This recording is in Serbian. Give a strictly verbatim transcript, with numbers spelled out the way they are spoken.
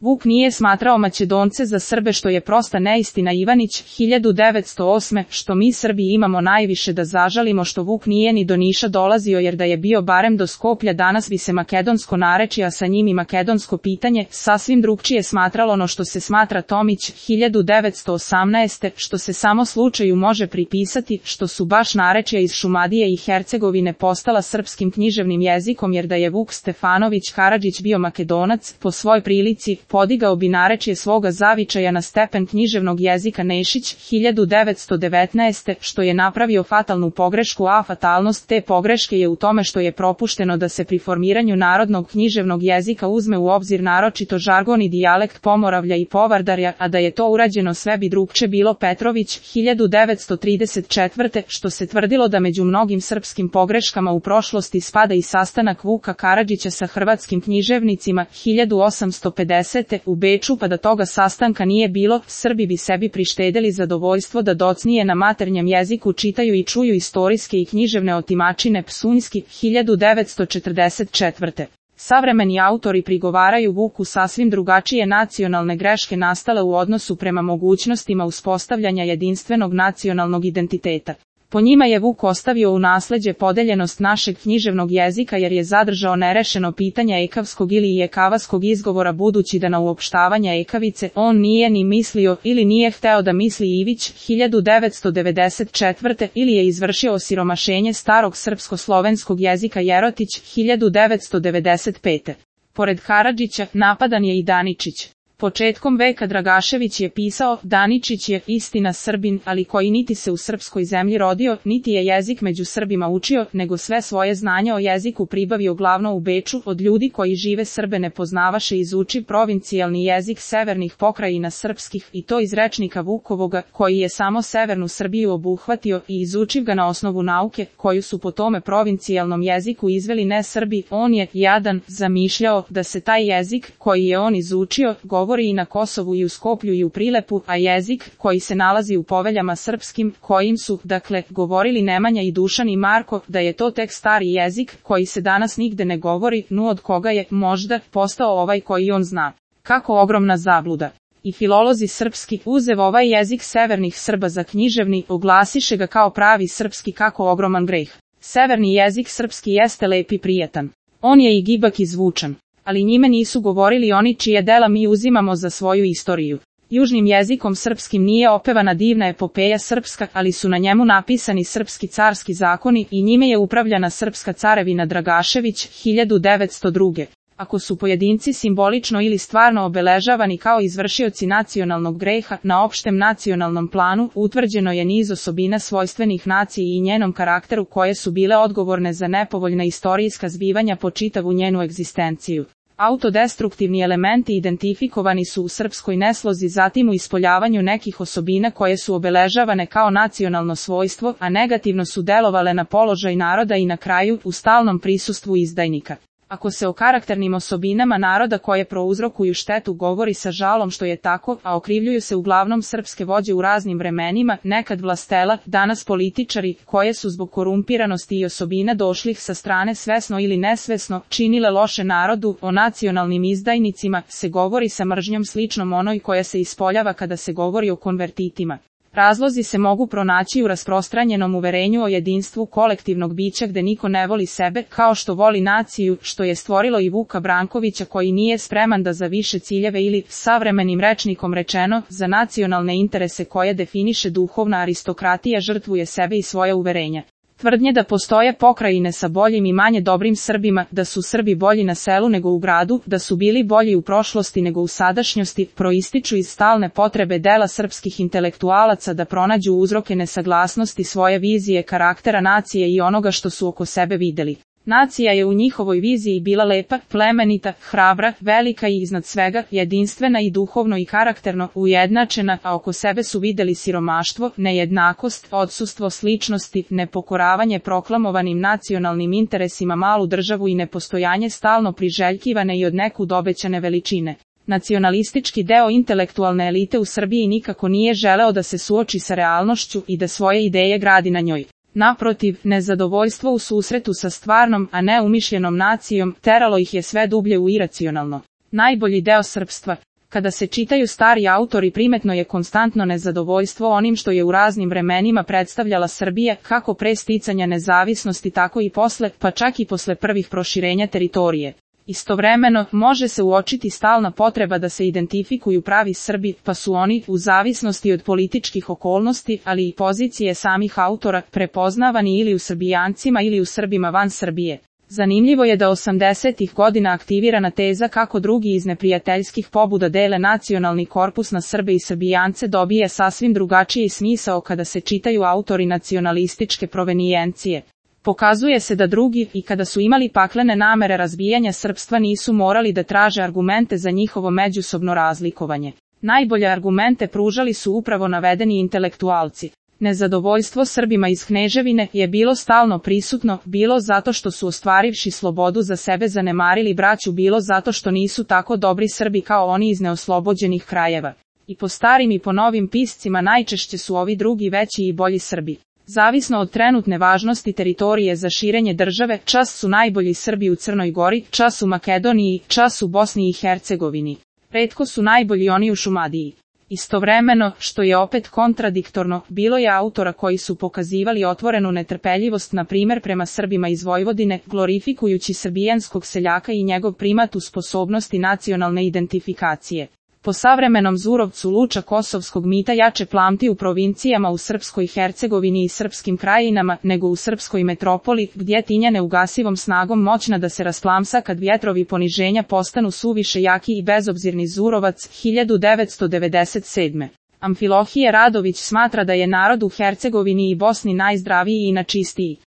Vuk nije smatrao Makedonce za Srbe, što je prosta neistina. Ivanić, hiljadu devetsto osme. Što mi Srbi imamo najviše da zažalimo što Vuk nije ni do Niša dolazio, jer da je bio barem do Skoplja danas bi se makedonsko narečje, a sa njim i makedonsko pitanje, sasvim drugčije smatralo no što se smatra. Tomić, hiljadu devetsto osamnaeste. Što se samo slučaju može pripisati, što su baš narečja iz Šumadije i Hercegovine postala srpskim književnim jezikom, jer da je Vuk Stefanović Karadžić bio Makedonac, po svoj prilici, podigao bi narečje svoga zavičaja na stepen književnog jezika. Nešić, hiljadu devetsto devetnaeste. Što je napravio fatalnu pogrešku, a fatalnost te pogreške je u tome što je propušteno da se pri formiranju narodnog književnog jezika uzme u obzir naročito žargon i dijalekt Pomoravlja i Povardarja, a da je to urađeno sve bi drugče bilo. Petrović, hiljadu devetsto trideset četvrte. Što se tvrdilo da među mnogim srpskim pogreškama u prošlosti spada i sastanak Vuka Karadžića sa hrvatskim književnicima, hiljadu osamsto pedesete. u Beču, pa da toga sastanka nije bilo, Srbi bi sebi prištedeli zadovoljstvo da docnije na maternjem jeziku čitaju i čuju istorijske i književne otimačine. Psunjski, hiljadu devetsto četrdeset četvrte. Savremeni autori prigovaraju Vuku sasvim drugačije nacionalne greške nastale u odnosu prema mogućnostima uspostavljanja jedinstvenog nacionalnog identiteta. Po njima je Vuk ostavio u nasleđe podeljenost našeg književnog jezika, jer je zadržao nerešeno pitanje ekavskog ili ekavaskog izgovora, budući da na uopštavanje ekavice on nije ni mislio ili nije hteo da misli. Ivić, hiljadu devetsto devedeset četvrte. ili je izvršio osiromašenje starog srpsko-slovenskog jezika. Jerotić, hiljadu devetsto devedeset pete. Pored Karadžića, napadan je i Daničić. Početkom veka Dragašević je pisao, Daničić je istina Srbin, ali koji niti se u srpskoj zemlji rodio, niti je jezik među Srbima učio, nego sve svoje znanje o jeziku pribavio glavno u Beču, od ljudi koji žive Srbe ne poznavaše, izuči provincijalni jezik severnih pokrajina srpskih, i to iz rečnika Vukovoga, koji je samo severnu Srbiju obuhvatio, i izučiv ga na osnovu nauke, koju su po tome provincijalnom jeziku izveli ne Srbi. On je, jadan, zamišljao da se taj jezik, koji je on izučio, govori i na Kosovu i u Skoplju i u Prilepu, a jezik, koji se nalazi u poveljama srpskim, kojim su, dakle, govorili Nemanja i Dušan i Marko, da je to tek stari jezik, koji se danas nigde ne govori, nu od koga je, možda, postao ovaj koji on zna. Kako ogromna zabluda! I filolozi srpski, uzev ovaj jezik severnih Srba za književni, oglasiše ga kao pravi srpski. Kako ogroman greh! Severni jezik srpski jeste lep i prijetan. On je i gibak i zvučan. Ali njime nisu govorili oni čije dela mi uzimamo za svoju istoriju. Južnim jezikom srpskim nije opevana divna epopeja srpska, ali su na njemu napisani srpski carski zakoni i njime je upravljana srpska carevina. Dragašević, hiljadu devetsto druge. Ako su pojedinci simbolično ili stvarno obeležavani kao izvršioci nacionalnog greha, na opštem nacionalnom planu utvrđeno je niz osobina svojstvenih naciji i njenom karakteru koje su bile odgovorne za nepovoljna istorijska zbivanja po čitavu njenu egzistenciju. Autodestruktivni elementi identifikovani su u srpskoj neslozi, zatim u ispoljavanju nekih osobina koje su obeležavane kao nacionalno svojstvo, a negativno su delovale na položaj naroda i na kraju u stalnom prisustvu izdajnika. Ako se o karakternim osobinama naroda koje prouzrokuju štetu govori sa žalom što je tako, a okrivljuju se uglavnom srpske vođe u raznim vremenima, nekad vlastela, danas političari, koje su zbog korumpiranosti i osobina došlih sa strane svesno ili nesvesno činile loše narodu, o nacionalnim izdajnicima se govori sa mržnjom sličnom onoj koja se ispoljava kada se govori o konvertitima. Razlozi se mogu pronaći u rasprostranjenom uverenju o jedinstvu kolektivnog bića gde niko ne voli sebe, kao što voli naciju, što je stvorilo i Vuka Brankovića koji nije spreman da za više ciljeve ili, savremenim rečnikom rečeno, za nacionalne interese koje definiše duhovna aristokratija žrtvuje sebe i svoja uverenja. Tvrdnje da postoje pokrajine sa boljim i manje dobrim Srbima, da su Srbi bolji na selu nego u gradu, da su bili bolji u prošlosti nego u sadašnjosti, proističu iz stalne potrebe dela srpskih intelektualaca da pronađu uzroke nesaglasnosti svoje vizije karaktera nacije i onoga što su oko sebe videli. Nacija je u njihovoj viziji bila lepa, plemenita, hrabra, velika i iznad svega, jedinstvena i duhovno i karakterno ujednačena, a oko sebe su videli siromaštvo, nejednakost, odsustvo sličnosti, nepokoravanje proklamovanim nacionalnim interesima, malu državu i nepostojanje stalno priželjkivane i od nekud obećane veličine. Nacionalistički deo intelektualne elite u Srbiji nikako nije želeo da se suoči sa realnošću i da svoje ideje gradi na njoj. Naprotiv, nezadovoljstvo u susretu sa stvarnom, a ne umišljenom nacijom, teralo ih je sve dublje u iracionalno. Najbolji deo srpstva, Kada se čitaju stari autori, primetno je konstantno nezadovoljstvo onim što je u raznim vremenima predstavljala Srbija, kako pre sticanja nezavisnosti tako i posle, pa čak i posle prvih proširenja teritorije. Istovremeno, može se uočiti stalna potreba da se identifikuju pravi Srbi, pa su oni, u zavisnosti od političkih okolnosti, ali i pozicije samih autora, prepoznavani ili u Srbijancima ili u Srbima van Srbije. Zanimljivo je da osamdesetih godina aktivirana teza kako drugi iz neprijateljskih pobuda dele nacionalni korpus na Srbe i Srbijance dobije sasvim drugačiji smisao kada se čitaju autori nacionalističke provenijencije. Pokazuje se da drugi, i kada su imali paklene namere razbijanja srpstva, nisu morali da traže argumente za njihovo međusobno razlikovanje. Najbolje argumente pružali su upravo navedeni intelektualci. Nezadovoljstvo Srbima iz Kneževine je bilo stalno prisutno, bilo zato što su ostvarivši slobodu za sebe zanemarili braću, bilo zato što nisu tako dobri Srbi kao oni iz neoslobođenih krajeva. I po starim i po novim piscima najčešće su ovi drugi veći i bolji Srbi. Zavisno od trenutne važnosti teritorije za širenje države, čas su najbolji Srbi u Crnoj Gori, čas u Makedoniji, čas u Bosni i Hercegovini. Retko su najbolji oni u Šumadiji. Istovremeno, što je opet kontradiktorno, bilo je autora koji su pokazivali otvorenu netrpeljivost, na primjer prema Srbima iz Vojvodine, glorifikujući srbijanskog seljaka i njegov primat u sposobnosti nacionalne identifikacije. Po savremenom Zurovcu Luča kosovskog mita jače plamti u provincijama u Srpskoj Hercegovini i srpskim krajinama, nego u srpskoj metropoli, gdje tinja neugasivom snagom moćna da se rasplamsa kad vjetrovi poniženja postanu suviše jaki i bezobzirni. Zurovac, hiljadu devetsto devedeset sedme. Amfilohije Radović smatra da je narod u Hercegovini i Bosni najzdraviji i načistiji.